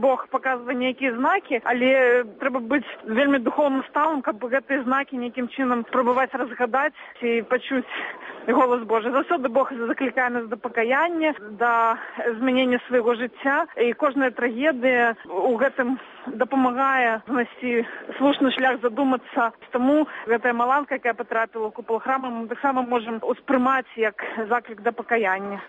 Бог паказвае нейкія знакі, але трэба быць вельмі духоўным сталым, каб гэтыя знакі нейкім чынам спрабаваць разгадаць ці пачуць голас Божий. Заўсёды Бог заклікае нас да пакаяння, да змянення свайго жыцця, і кожная трагедыя у гэтым дапамагае знайсці слушны шлях, задумацца. Таму гэтая маланка, якая патрапіла ў купал храма, мы таксама можам успрымаць як заклік да пакаяння.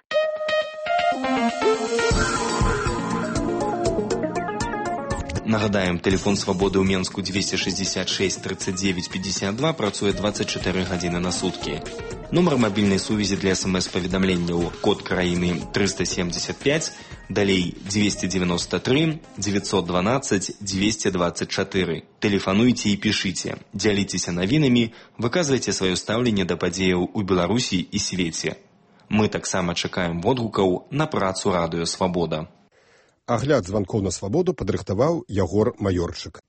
Нагадаем, тэлефон свабоды ў Менску 266 39 52 працуе 24 гадзіны на суткі. Нумар мабільнай сувязі для смс-паведамленняў код краіны 375, далей 293 912 224. Тэлефануйце і пішыце, дзяліцеся навінамі, выказвайце сваё стаўленне да падзеяў у Беларусі і свеце. Мы таксама чакаем водгукаў на працу радыё Свабода. Агляд званкоў на свабоду падрыхтаваў Ягор Маёрчык.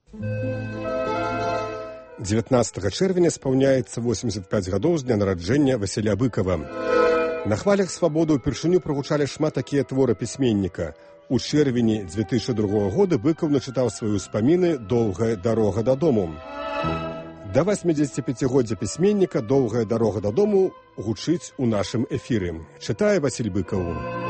19 чэрвеня спаўняецца 85 гадоў з дня нараджэння Васіля Быкава. На хвалях свабоды ўпершыню прагучалі шмат такія творы пісьменніка. У чэрвені 2002 года Быкаў начытаў свае ўспаміны «Доўгая дарога дадому». Да 85-годдзя пісьменніка «Доўгая дарога дадому» гучыць у нашым эфіры. Чытае Васіль Быкаў.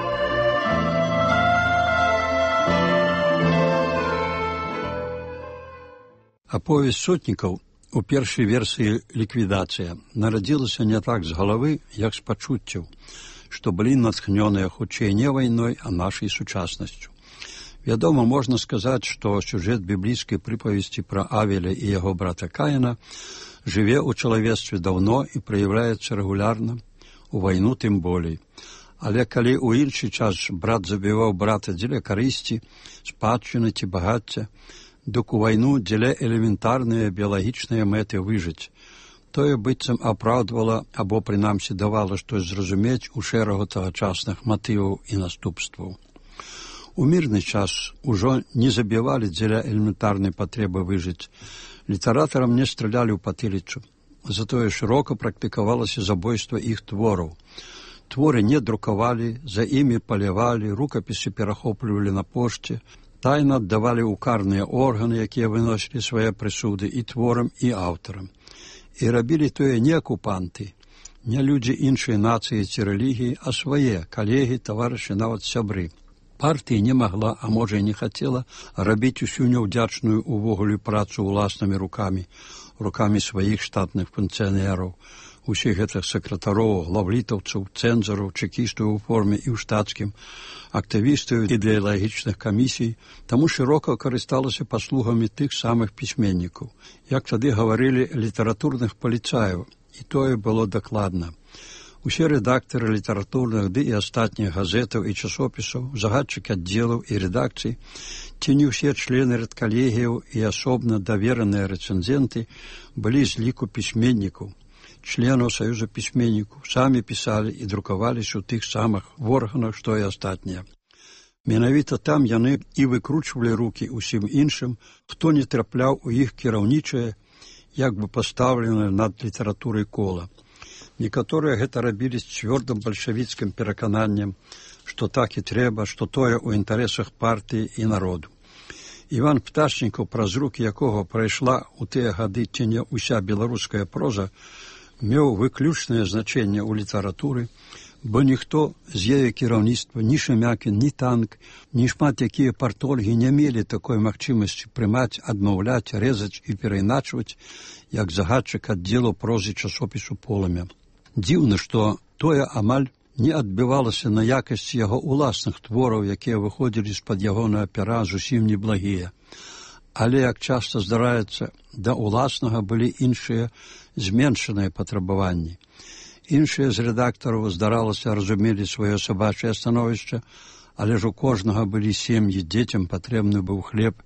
Аповесць сотнікаў у першай версіі «Ліквідацыя» нарадзілася не так з галавы, як з пачуццяў, што былі натхнёныя хутчэй не вайной, а нашай сучаснасцю. Вядома, можна сказаць, што сюжэт біблійскай прыпавесці пра Авеля і яго брата Каіна жыве ў чалавецтве даўно і праяўляецца рэгулярна, у вайну тым болей. Але калі ў іншы час брат забіваў брата дзеля карысці, спадчыны ці багацця, дык у вайну дзеля элементарныя біялагічныя мэты выжыць. Тое быццам апраўдвала або, прынамсі, давала штось зразумець у шэрагу тагачасных матываў і наступстваў. У мірны час ужо не забівалі дзеля элементарнай патрэбы выжыць. Літаратарам не стралялі ў патыліцу. Затое шырока практыкавалася забойства іх твораў. Творы не друкавалі, за імі палявалі, рукапісы перахоплівалі на пошце, тайна аддавалі ў карныя органы, якія выносілі свае прысуды і творам, і аўтарам. І рабілі тое не акупанты, не людзі іншай нацыі ці рэлігіі, а свае калегі, таварышы, нават сябры. Партыя не магла, а можа і не хацела, рабіць усю няўдзячную увогуле працу ўласнымі рукамі сваіх штатных функцыянераў, усіх гэтых сакратароў, главлітаўцаў, цэнзараў, чэкістаў у форме і ў штатскім, актывістаў ідэалагічных камісій, таму шырока карысталася паслугамі тых самых пісьменнікаў. Як тады гаварылі, літаратурных паліцаяў, і тое было дакладна. Усе рэдактары літаратурных ды і астатніх газетаў і часопісаў, загадчыкі аддзелаў і рэдакцый, ці не ўсе члены рэдкалегіяў і асобна давераныя рэцэнзенты былі з ліку пісьменнікаў, членаў Саюза пісьменнікаў, самі пісалі і друкаваліся ў тых самых органах, што і астатнія. Менавіта там яны і выкручвалі рукі ўсім іншым, хто не трапляў у іх кіраўнічае, як бы пастаўленае над літаратурай кола. Некаторыя гэта рабілі з цвёрдым бальшавіцкім перакананнем, што так і трэба, што тое ў інтарэсах партыі і народу. Іван Пташнікаў, праз рукі якога прайшла ў тыя гады ці не ўся беларуская проза, меў выключнае значэнне ў літаратуры, бо ніхто з яе кіраўніцтва, ні Шемякін, ні Танк, ні шмат якія партольгі не мелі такой магчымасці прымаць, адмаўляць, рэзаць і перайначваць, як загадчык аддзелу прозы часопісу «Полымя». Дзіўна, што тое амаль не адбівалася на якасці яго ўласных твораў, якія выходзілі з-пад ягонага пера зусім неблагія. Але, як часта здараецца, да ўласнага былі іншыя зменшаныя патрабаванні. Іншыя з рэдактараў, здаралася, разумелі сваё сабачае становішча, але ж у кожнага былі сем'і, дзецям патрэбны быў хлеб,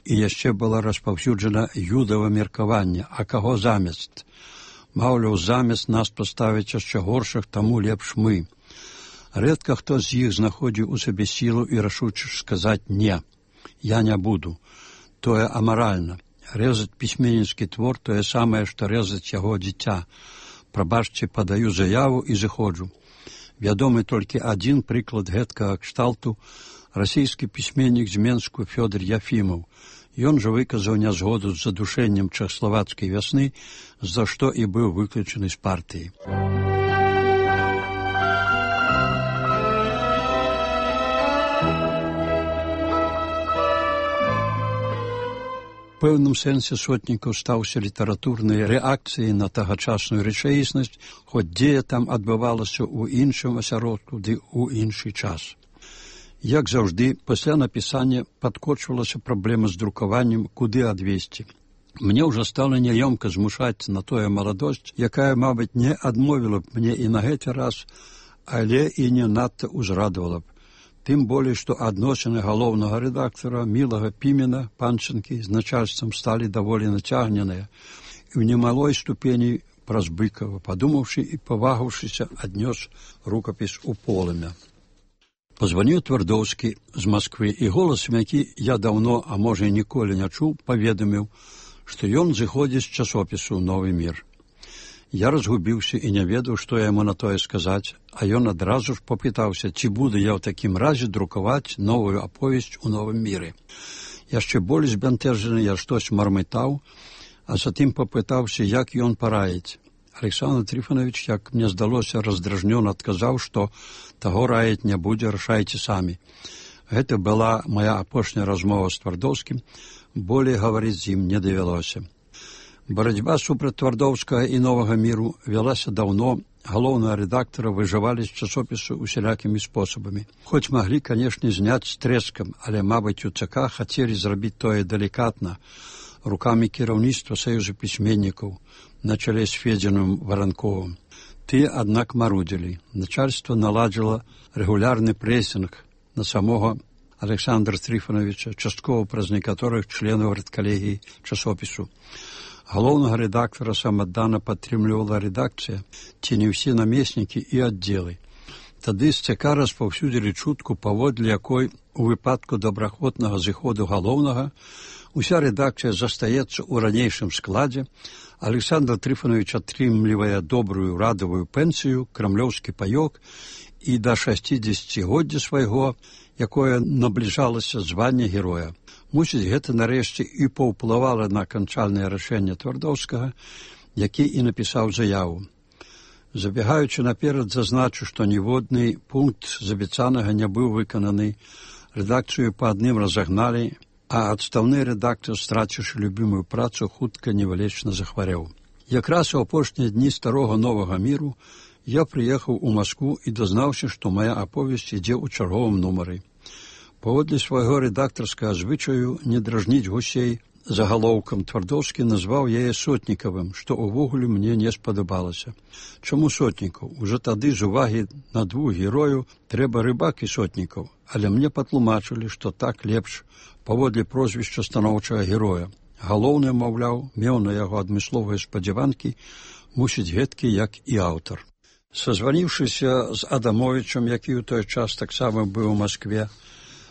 і яшчэ была распаўсюджана юдава меркаванне, а каго замест? Маўляў, замест нас паставіць яшчэ горшых, таму лепш мы. Рэдка хто з іх знаходзіў у сабе сілу і рашуча сказаць «не, я не буду». Тое амаральна. Рэзаць пісьменніцкі твор тое самае, што рэзаць яго дзіця. Прабачце, падаю заяву і зыходжу. Вядомы толькі адзін прыклад гэткага кшталту расійскі пісьменнік з Менску Фёдор Яфімаў. Ён жа выказаў нязгоду з задушэннем чэхаславацкай вясны, за што і быў выключаны з партыі. У пэўным сэнсе Сотнікаў стаўся літаратурнай рэакцыяй на тагачасную рэчаіснасць, хоць дзея там адбывалася ў іншым асяродку ды ў іншы час. Як заўжды, пасля напісання падкочвалася праблема з друкаваннем, куды адвесці. Мне ўжо стала няёмка змушаць на тое маладосць, якая, мабыць, не адмовіла б мне і на гэты раз, але і не надта ўзрадавала б. Тым болей, што адносіны галоўнага рэдактара Мілага Пімена Панчынкі з начальствам сталі даволі нацягненыя і ў немалой ступені праз Быкава, падумаўшы і павагаўшыся, аднёс рукапіс у полымя. Пазваніў Твардоўскі з Масквы, і голасам, які я даўно, а можа і ніколі не чуў, паведаміў, што ён зыходзіць з часопісу «Новы мір». Я разгубіўся і не ведаў, што яму на тое сказаць, а ён адразу ж попытаўся, ці буду я ў такім разе друкаваць новую аповесць у «Новым міры». Яшчэ болей збянтэжаны я штось мармытаў, а затым попытаўся, як ён параіць. Александр Трифонович, як мне здалося, раздражнёна адказаў, што таго раіць не будзе, рашайце самі. Гэта была моя апошняя размова з Твардоўскім, болей гаварыць з ім не давялося. Барацьба супраць Твардоўскага і «Новага міру» вялася даўно, галоўнага рэдактара выжывалі з часопісу усялякімі спосабамі. Хоць маглі, канешне, зняць з трэскам, але, мабыць, у ЦК хацелі зрабіць тое далікатна, рукамі кіраўніцтва Саюза пісьменнікаў, на чале з Федзіным Варанковым. Тыя, аднак, марудзілі. Начальство наладзіла рэгулярны прэсінг на самога Александра Трифоновича, часткова праз некаторых членаў рэдкалегіі часопісу. Галоўнага рэдактара самаддана падтрымлівала рэдакцыя, ці не ўсе намеснікі і аддзелы. Тады з ЦК распаўсюдзілі чутку, паводле якой у выпадку добраахвотнага зыходу галоўнага уся рэдакцыя застаецца ў ранейшым складзе, Александр Трифонович атрымлівае добрую радавую пенсію, крамлёўскі паёк і да 60годдзя свайго, якое набліжалася звання героя. Мусіць, гэта нарэшце і паўплывала на аканчальнае рашэнне Твардоўскага, які і напісаў заяву. Забегаючы наперад, зазначу, што ніводны пункт з абяцанага не быў выкананы, рэдакцыю па адным разагналі, а адстаўны рэдактар, страціўшы любімую працу, хутка невылечна захварэў. Якраз у апошнія дні старога «Новага міру» я прыехаў у Маскву і дазнаўся, што моя аповесць ідзе ў чарговым нумары. Паводле свайго рэдактарскага звычаю не дражніць гусей загалоўкам, Твардоўскі назваў яе Сотнікавым, што ўвогуле мне не спадабалася. Чаму Сотнікаў? Ужо тады з увагі на двух герою трэба Рыбак і Сотнікаў, але мне патлумачылі, што так лепш паводле прозвішча станоўчага героя. Галоўны, маўляў, меў на яго адмысловыя спадзяванкі, мусіць гэткі, як і аўтар. Сазваніўшыся з Адамовічам, які ў той час таксама быў у Маскве,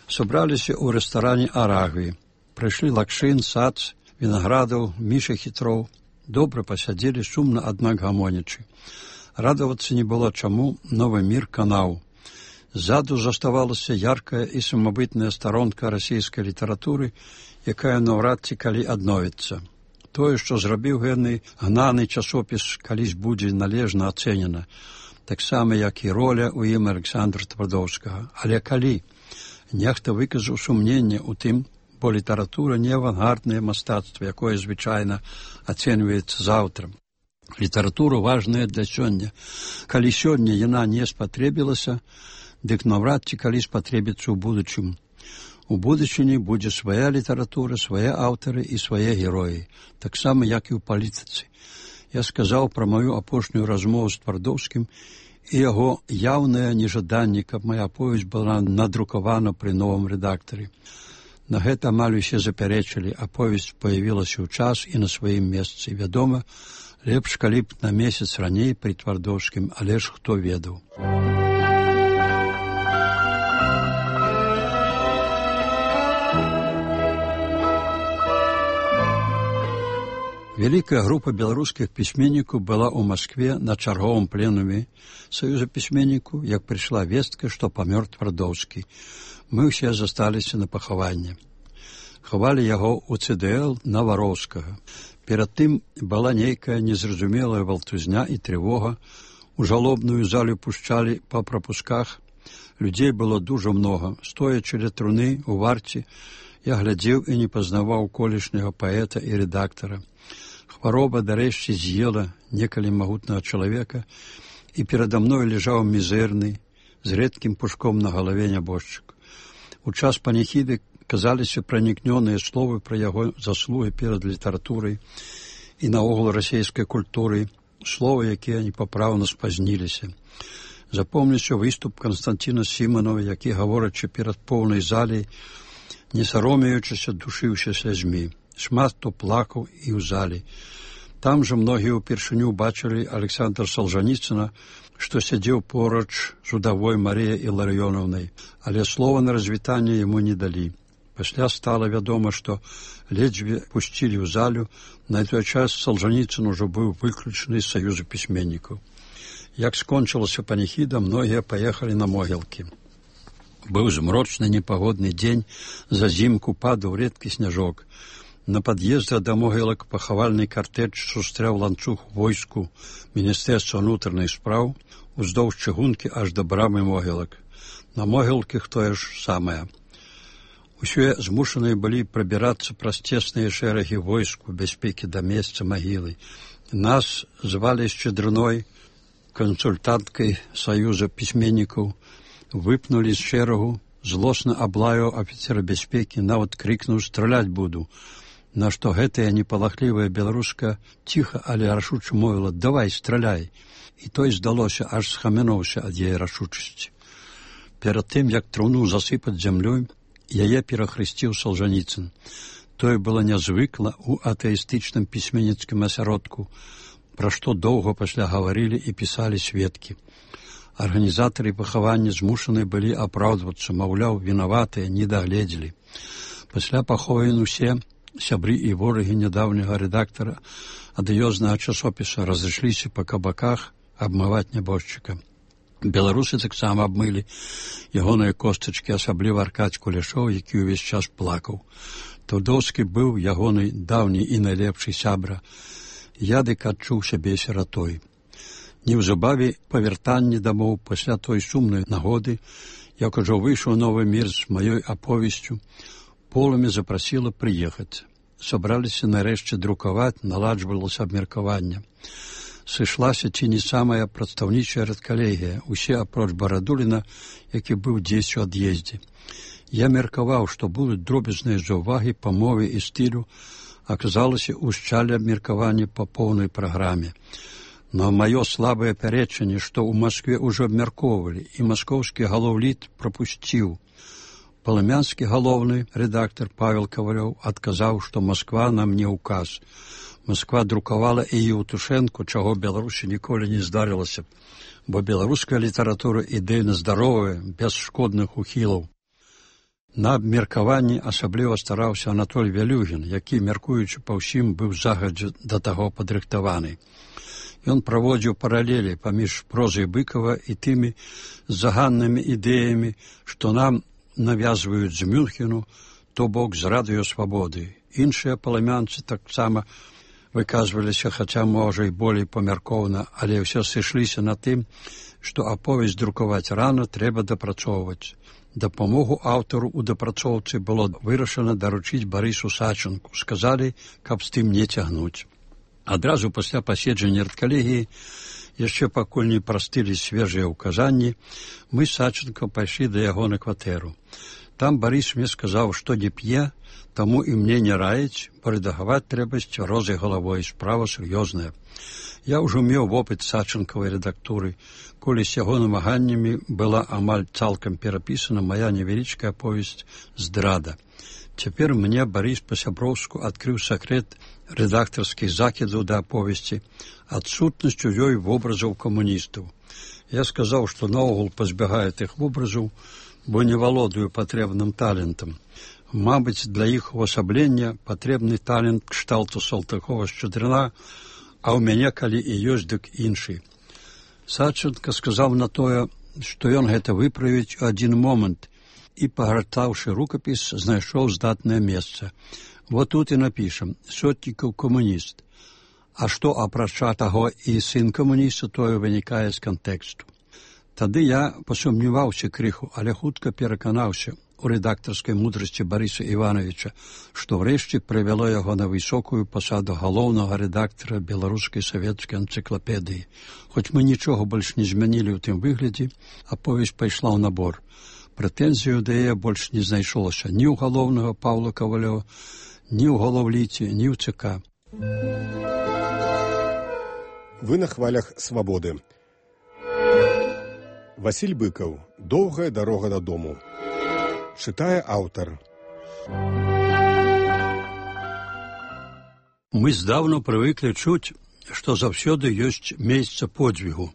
сабраліся ў рэстаране «Арагві». Прыйшлі Лакшын, Сац, Вінаградаў, Міша Хітроў. Добра пасядзелі, сумна, аднак гамонячы. Радавацца не было чаму, «Новы мір» канаў. Ззаду заставалася яркая і самабытная старонка расійскай літаратуры, якая наўрад ці калі адновіцца. Тое, што зрабіў гэны гнаны часопіс, калісь будзе належна ацэнена, таксама, як і роля ў ім Александра Твардоўскага. Але калі? Нехта выказаў сумненне ў тым, бо літаратура не авангарднае мастацтва, якое звычайна ацэньваецца заўтра. Літаратура важная для сёння. Калі сёння яна не спатрэбілася, дык наўрад ці калі спатрэбіцца ў будучым. У будучыні будзе свая літаратура, свае аўтары і свае героі, таксама, як і ў палітыцы. Я сказаў пра маю апошнюю размову з Твардоўскім і яго яўнае нежаданне, каб моя аповесць была надрукавана пры новым рэдактары. На гэта амаль усе запярэчылі, аповесць паявілася ў час і на сваім месцы. Вядома, лепш, калі б на месяц раней пры Твардоўскім, але ж хто ведаў. Вялікая група беларускіх пісьменнікаў была ў Маскве на чарговым пленуме Саюза пісьменнікаў, як прыйшла вестка, што памёр Твардоўскі. Мы ўсе засталіся на пахаванне. Хавалі яго ў ЦДЛ Навароўскага. Перад тым была нейкая незразумелая валтузня і трывога. У жалобную залю пушчалі па прапусках. Людзей было дужа многа. Стоячы ля труны у варце, я глядзеў і не пазнаваў колішняга паэта і рэдактара. Хвароба, дарэшце, з'ела некалі магутнага чалавека, і перада мной лежаў мізэрны, з рэдкім пушком на галаве нябожчык. У час паніхіды казаліся пранікнёныя словы пра яго заслугі перад літаратурай і наогул расійскай культурай, словы, якія непапраўна спазніліся. Запомніўся выступ Канстанціна Сіманова, які, гаворачы перад поўнай залей, не саромеючыся, душыўся слязьмі. Шмат хто плакаў і ў залі. Там жа многія ўпершыню бачылі Александра Солжаніцына, што сядзеў поруч з удавой Марыяй Іларыёнаўнай, але слова на развітанне яму не далі. Пасля стала вядома, што ледзьве пусцілі ў залю, на той час Солжаніцын ужо быў выключаны з саюзу пісьменнікаў. Як скончылася паніхіда, многія паехалі на могілкі. Быў змрочны непагодны дзень, зазімку падаў рэдкі сняжок. На пад'ездах да могілак пахавальны картэж сустрэў ланцуг войску Міністэрства ўнутраных спраў уздоўж чыгункі аж да брамы могілак. На могілках тое ж самае. Усе змушаныя былі прабірацца праз цесныя шэрагі войску бяспекі да месца магілы. Нас звалі Шчедрыной, кансультанткай Саюза пісьменнікаў, выпнулі з шэрагу, злосна аблаяў афіцера бяспекі, нават крыкнуў «Страляць буду», на што гэтая непалахлівая беларуска ціха, але рашуча мовіла «Давай, страляй». І той, здалося, аж схамянуўся ад яе рашучасці. Перад тым, як труну засыпаць зямлёй, яе перахрысціў Солжаніцын. Тое было нязвыкла ў атэістычным пісьменніцкім асяродку, пра што доўга пасля гаварылі і пісалі сведкі. Арганізатары пахавання змушаны былі апраўдвацца, маўляў, вінаватыя, не дагледзелі. Пасля пахованы усе сябры і ворагі нядаўняга рэдактара адыёзнага часопіса разышліся па кабаках абмываць нябожчыка. Беларусы таксама абмылі ягоныя костачкі, асабліва Аркадзь Кулешоў, які ўвесь час плакаў. Таўдоўскі быў ягоны даўні і найлепшы сябра. Я дык адчуў сябе сіратой. Неўзабаве па вяртанні дамоў пасля той сумнай нагоды, як ужо выйшаў новы мір з маёй аповесцю, Полымя запрасіла прыехаць. Сабраліся нарэшце друкаваць, наладжвалася абмеркаванне. Сышлася ці не самая прадстаўнічая рэдкалегія, усе апроч Барадуліна, які быў дзесь у ад'ездзе. Я меркаваў, што будуць дробязныя заўвагі па мове і стылю, аказалася, ушчалі абмеркаванне па поўнай праграме. На маё слабае пярэчанне, што ў Маскве ўжо абмяркоўвалі, і маскоўскі галоўліт прапусціў. Палымянскі галоўны рэдактар Павел Кавалёў адказаў, што Масква нам не ўказ. Масква друкавала і Еўтушэнку, чаго Беларусі ніколі не здарылася, бо беларуская літаратура ідэйна здаровая, без шкодных ухілаў. На абмеркаванні асабліва стараўся Анатоль Вялюгін, які, мяркуючы па ўсім, быў загадзя да таго падрыхтаваны. Ён праводзіў паралелі паміж прозай Быкава і тымі заганнымі ідэямі, што нам навязваюць з Мюнхену, то бок з радыёсвабоды. Іншыя палымянцы таксама выказваліся, хаця, можа, і болей памяркоўна, але ўсё сышліся на тым, што аповесць друкаваць рана трэба дапрацоўваць. Дапамогу аўтару ў дапрацоўцы было вырашана даручыць Барысу Сачынку. Сказалі, каб з тым не цягнуць. Адразу пасля паседжання рэдкалегіі, яшчэ пакуль не прастылі свежыя ўказанні, мы з Сачынкам пайшлі да яго на кватэру. Там Барыс мне сказаў, што не п'е, таму і мне не раіць, бо рэдагаваць трэба з цвярозай галавой, справа сур'ёзная. Я ўжо меў вопыт Сачынкавай рэдактуры, коли з яго намаганнямі была амаль цалкам перапісана мая невялічкая аповесць «Здрада». Цяпер мне Барыс па-сяброўску адкрыў сакрэт рэдактарскіх закідаў да аповесці, адсутнасць у ёй вобразаў камуністаў. Я сказаў, што наогул пазбягаю тых вобразаў, бо не валодаю патрэбным талентам. Мабыць, для іх увасаблення патрэбны талент кшталту Салтыкова-Шчедрына, а ў мяне, калі і ёсць, дык іншы. Сачынка сказаў на тое, што ён гэта выправіць у адзін момант, і, пагартаўшы рукапіс, знайшоў здатнае месца. Вот тут і напішам: Сотнікаў камуніст. А што, апрача таго, і сын камуніста, тое вынікае з кантэксту. Тады я пасумняваўся крыху, але хутка пераканаўся у рэдактарскай мудрасці Барыса Івановича, што ўрэшце прывяло яго на высокую пасаду галоўнага рэдактара беларускай савецкай энцыклапедыі. Хоць мы нічога больш не змянілі ў тым выглядзе, аповесць пайшла ў набор. Прэтэнзію да яе больш не знайшлося ні ў галоўнага Паўла Кавалёва, ні ў галаўліці, ні ў ЦК. Вы на хвалях свабоды. Васіль Быкаў. Доўгая дарога дадому. Чытае аўтар. Мы здаўна прывыклі чуць, што заўсёды ёсць месца подзвігу.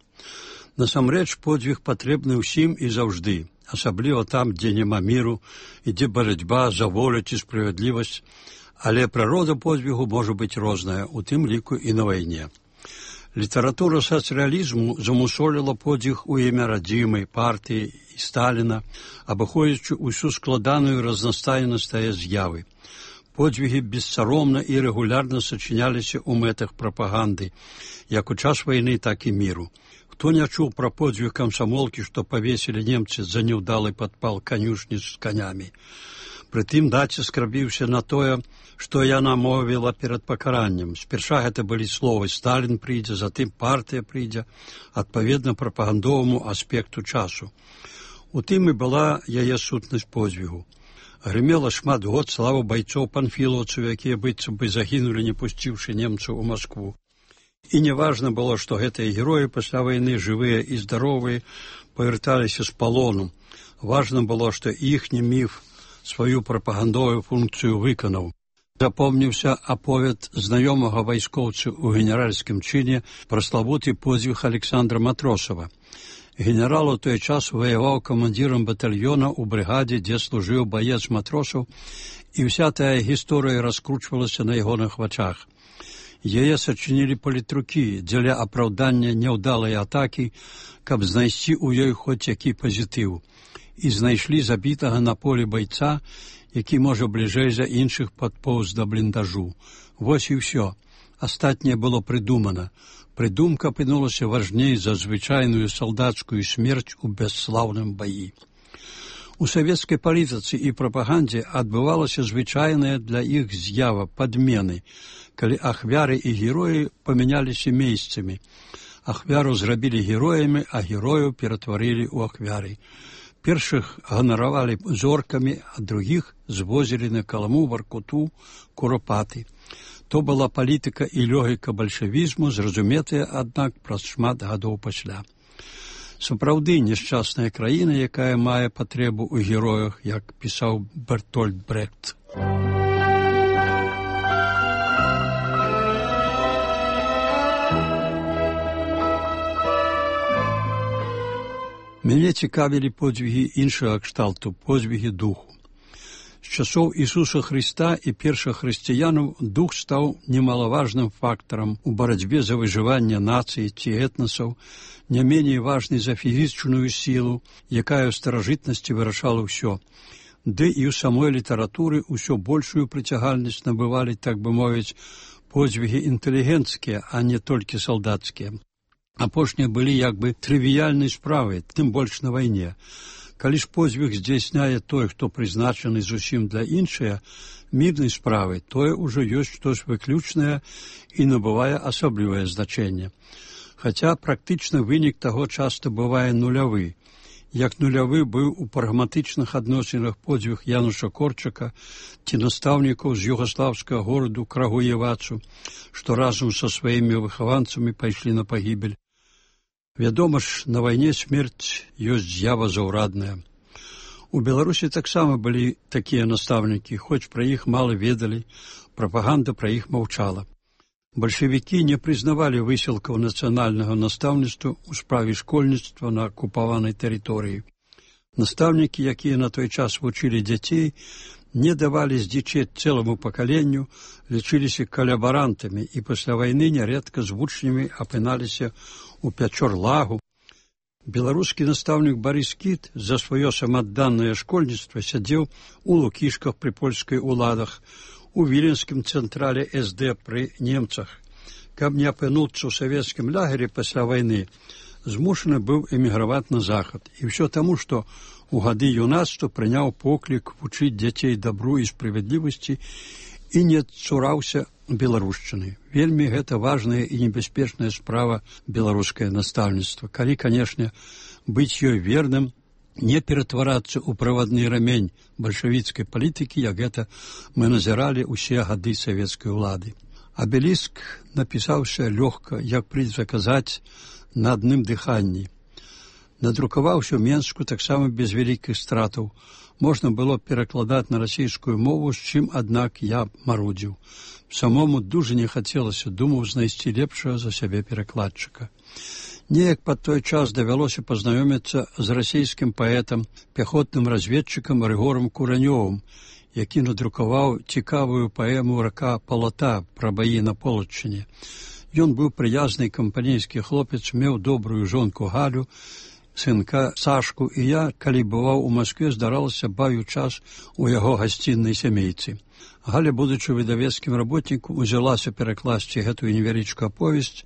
Насамрэч, подзвіг патрэбны ўсім і заўжды, асабліва там, дзе няма міру, ідзе барацьба за волю ці справядлівасць, але прырода подзвігу можа быць розная, у тым ліку і на вайне. Літаратура сацыялізму замусоліла подзвіг у імя радзімай, партыі і Сталіна, абыходзячы ўсю складаную разнастайнасць тае з'явы. Подзвігі бессаромна і рэгулярна сачыняліся ў мэтах прапаганды, як у час вайны, так і міру. Хто не чуў пра подзвіг камсамолкі, што павесілі немцы за няўдалы падпал канюшні з канямі? Прытым націск рабіўся на тое, што яна мовіла перад пакараннем. Спярша гэта былі словы «Сталін прыйдзе», затым «партыя прыйдзе», адпаведна прапагандоваму аспекту часу. У тым і была яе сутнасць подзвігу. Грымела шмат год слава байцоў панфілаўцаў, якія быццам бы загінулі, не пусціўшы немцаў у Маскву. І неважна было, што гэтыя героі пасля вайны, жывыя і здаровыя, павярталіся з палону. Важна было, што іхні міф сваю прапагандовую функцыю выканаў. Запомніўся аповед знаёмага вайскоўцы ў генеральскім чыне пра славуты подзвіг Александра Матросава. Генерал у той час ваяваў камандзірам батальёна ў брыгадзе, дзе служыў баец Матросаў, і ўся тая гісторыя раскручвалася на ягоных вачах. Яе сачынілі палітрукі дзеля апраўдання няўдалай атакі, каб знайсці ў ёй хоць які пазітыў. І знайшлі забітага на полі байца, які, можа, бліжэй за іншых падпоўз да бліндажу. Вось і ўсё. Астатняе было прыдумана. Прыдумка апынулася важней за звычайную салдацкую смерць у бясслаўным баі. У савецкай палітыцы і прапагандзе адбывалася звычайная для іх з'ява падмены, калі ахвяры і героі памяняліся месцамі. Ахвяру зрабілі героямі, а герояў ператварылі ў ахвяры. Першых ганаравалі зоркамі, а другіх звозілі на Каламу, Варкуту, Куропаты. То была палітыка і логіка бальшавізму, зразуметая, аднак, праз шмат гадоў пасля. Сапраўды няшчасная краіна, якая мае патрэбу ў героях, як пісаў Бертольд Брехт. Мяне цікавілі подзвігі іншага кшталту, подзвігі духу. З часоў Ісуса Хрыста і першых хрысціянаў дух стаў немалаважным фактарам у барацьбе за выжыванне нацыі ці этнасаў, не меней важнай за фізічную сілу, якая ў старажытнасці вырашала ўсё. Ды і ў самой літаратуры ўсё большую прыцягальнасць набывалі, так бы мовіць, подзвігі інтэлігенцкія, а не толькі салдацкія. Апошнія былі як бы трывіяльнай справай, тым больш на вайне. Калі ж подзвіг здзяйсняе той, хто прызначаны зусім для іншыя, мірнай справы, тое ўжо ёсць штось выключнае і набывае асаблівае значэнне. Хаця практычна вынік таго часта бывае нулявы. Як нулявы быў у прагматычных адносінах подзвіг Януша Корчака ці настаўнікаў з югаслаўскага гораду Крагуевацу, што разам са сваімі выхаванцамі пайшлі на пагібель. Вядома ж, на вайне смерць ёсць з'ява заўрадная. У Беларусі таксама былі такія настаўнікі, хоць пра іх мала ведалі, прапаганда пра іх маўчала. Бальшавікі не прызнавалі высілкаў нацыянальнага настаўніцтва ў справе школьніцтва на акупаванай тэрыторыі. Настаўнікі, якія на той час вучылі дзяцей, не давалі здзічэць цэламу пакаленню, лічыліся калабарантамі і пасля вайны нярэдка з вучнямі апыналіся ў Пячорлагу. Беларускі настаўнік Барыс Кіт за сваё самаадданае школьніцтва сядзеў у Лукішках пры польскай уладах, у віленскім цэнтрале СД пры немцах. Каб не апынуцца ў савецкім лагеры пасля вайны, змушаны быў эміграваць на захад. І ўсё таму, што у гады юнацтва прыняў поклік вучыць дзяцей дабру і справядлівасці і не цураўся беларушчыны. Вельмі гэта важная і небяспечная справа беларускае настаўніцтва. Калі, канешне, быць ёй верным, не ператварацца ў правадны рамень бальшавіцкай палітыкі, як гэта мы назіралі ўсе гады савецкай улады. Абеліск напісаўся лёгка, як прыйдзе казаць, на адным дыханні. Надрукаваўся ў Менску таксама без вялікіх стратаў. Можна было перакладаць на расійскую мову, з чым, аднак, я марудзіў. Самому дужа не хацелася, думаў знайсці лепшага за сябе перакладчыка. Неяк пад той час давялося пазнаёміцца з расійскім паэтам, пяхотным разведчыкам Рыгорам Куранёвым, які надрукаваў цікавую паэму «Рака Палата» пра баі на Полаччыне. Ён быў прыязны кампанейскі хлопец, меў добрую жонку Галю, сынка Сашку, і я, калі бываў у Маскве, здаралася бавіў час у яго гасціннай сямейцы. Галя, будучы выдавецкім работнікам, узялася перакласці гэтую невялічкую аповесць.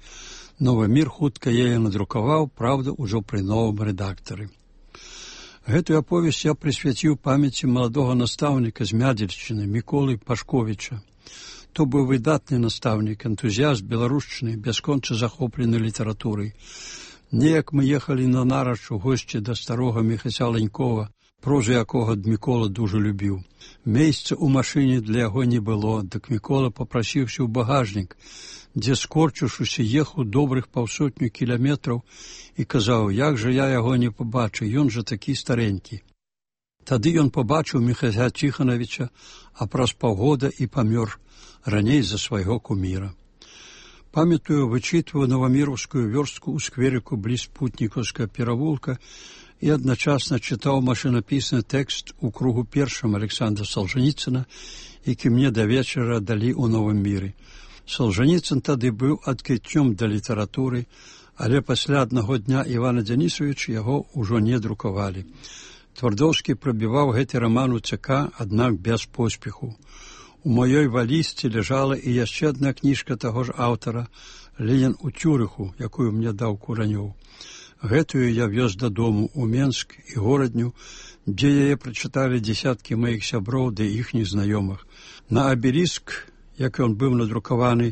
«Новы мір» хутка яе надрукаваў, правда, ужо пры новым рэдактары. Гэтую аповесць я прысвяціў памяці маладога настаўніка з Мядзельшчыны Міколы Пашковіча. То быў выдатны настаўнік, энтузіяст беларушчыны, бясконца захоплены літаратурай. Неяк мы ехалі на нарач у госці да старога Міхася Ленькова, прозу якога Мікола дужа любіў. Месца ў машыне для яго не было, дык Мікола папрасіўся ў багажнік, дзе, скорчыўшыся, ехаў добрых 500 кіламетраў і казаў, як жа я яго не пабачу, ён жа такі старенькі. Тады ён пабачыў Міхася Ціханавіча, а праз паўгода і памёр, раней за свайго куміра. Памятаю, вычытваю новаміраўскую вёрстку ў скверыку бліз Путнікаўскага перавулка і адначасна чытаў машынапісны тэкст у кругу першым Александра Салжаніцына, які мне да вечара далі ў Новым міры. Салжаніцын тады быў адкрыццём да літаратуры, але пасля аднаго дня Івана Дзянісавіча яго ўжо не друкавалі. Твардоўскі прабіваў гэты раман у ЦК, аднак без поспеху. У маёй валізцы ляжала і яшчэ адна кніжка таго ж аўтара «Ленін у Цюрыху», якую мне даў Куранёў. Гэтую я вёз дадому ў Менск і горадню, дзе яе прачыталі дзесяткі маіх сяброў ды іхніх знаёмых. На абеліск, як ён быў надрукаваны,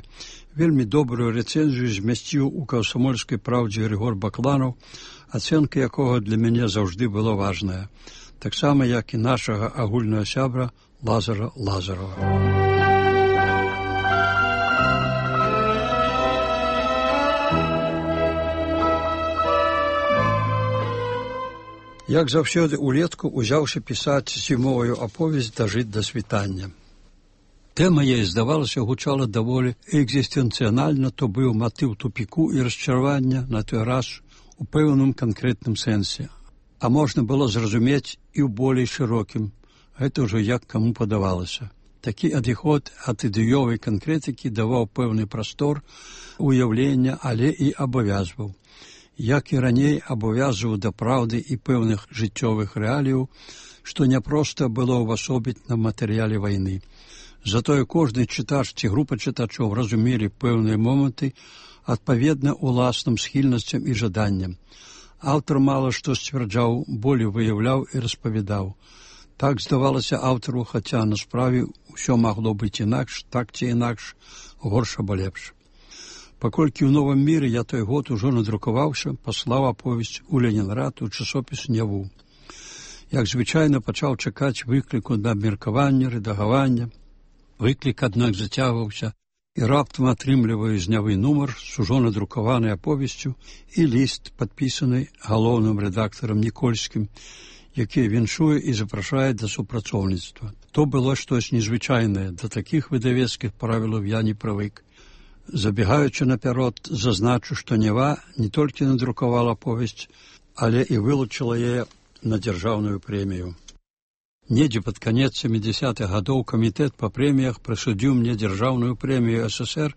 вельмі добрую рэцэнзію змясціў у «Камсамольскай праўдзе» Григор Бакланаў, ацэнка якога для мяне заўжды была важная, таксама як і нашага агульнага сябра Лазара Лазарова. Як заўсёды улетку узяўся пісаць зімовую аповесць «Дажыць да світання». Тэма яе, здавалася, гучала даволі экзістэнцыянальна, то быў матыў тупіку і расчаравання на той раз у пэўным канкрэтным сэнсе. А можна было зразумець і ў болей шырокім. Гэта ўжо як каму падавалася. Такі адыход ад ідэёвай канкрэтыкі даваў пэўны прастор уяўлення, але і абавязваў. Як і раней абавязваў да праўды і пэўных жыццёвых рэаліяў, што няпроста было ўвасобіць на матэрыяле вайны. Затое кожны чытач ці група чытачоў разумелі пэўныя моманты адпаведна ўласным схільнасцям і жаданням. Аўтар мала што сцвярджаў, болей выяўляў і распавядаў. Так здавалася аўтару, хаця на справе ўсё магло быць інакш, так ці інакш, горш або лепш. Паколькі ў Новым міры я той год ужо надрукаваўся, паслаў аповесць у Ленінград у часопіс «Няву». Як звычайна, пачаў чакаць выкліку на абмеркаванне, рэдагавання. Выклік, аднак, зацягваўся, і раптам атрымліваю з «Нявы» нумар з ужо надрукаванай аповесцю і ліст, падпісаны галоўным рэдактарам Нікольскім, які віншуе і запрашае да супрацоўніцтва. То было штось незвычайнае, да такіх выдавецкіх правілаў я не прывык. Забегаючы наперад, зазначу, што «Нева» не толькі надрукавала повесць, але і вылучыла яе на дзяржаўную прэмію. Недзе пад канец 70-х гадоў камітэт па прэміях прысудзіў мне дзяржаўную прэмію СССР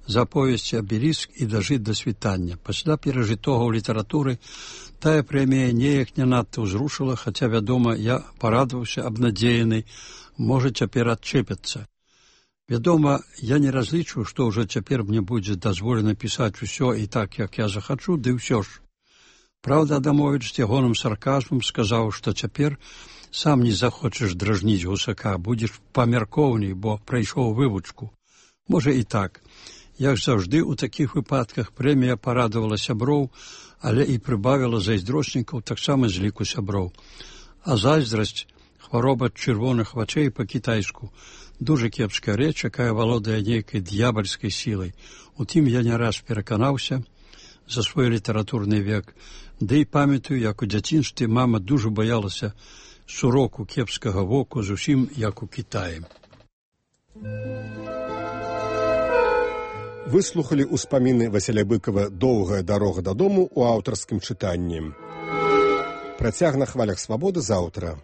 за повесці «Абеліск» і «Дажыць да світання». Пасля перажытога ў літаратуры Тая прэмія неяк не надта ўзрушыла, хаця, вядома, я парадаваўся абнадзеяны, можа, цяпер адчэпяцца. Вядома, я не разлічваю, што ўжо цяпер мне будзе дазволена пісаць усё і так, як я захачу, ды ўсё ж. Праўда, Адамовіч з ягоным сарказмам сказаў, што цяпер сам не захочаш дражніць гусака, будзеш памяркоўней, бо прайшоў вывучку. Можа і так. Як заўжды, у такіх выпадках прэмія парадавала сяброў, але і прыбавіла зайздрочнікаў таксама з ліку сяброў. А зайздрасць, хвароба чырвоных вачэй па-кітайску, дуже кепская рэч, якая валодае нейкай д'ябальскай сілай. Утым я не раз пераканаўся за свой літаратурны век, ды і памятаю, як у дзяцінстве мама дуже баялася суроку кепскага воку, зусім як у Кітаі. Выслухалі ўспаміны Васіля Быкова «Доўгая дарога дадому» у аўтарскім чытанні. Працяг на хвалях свабоды заўтра.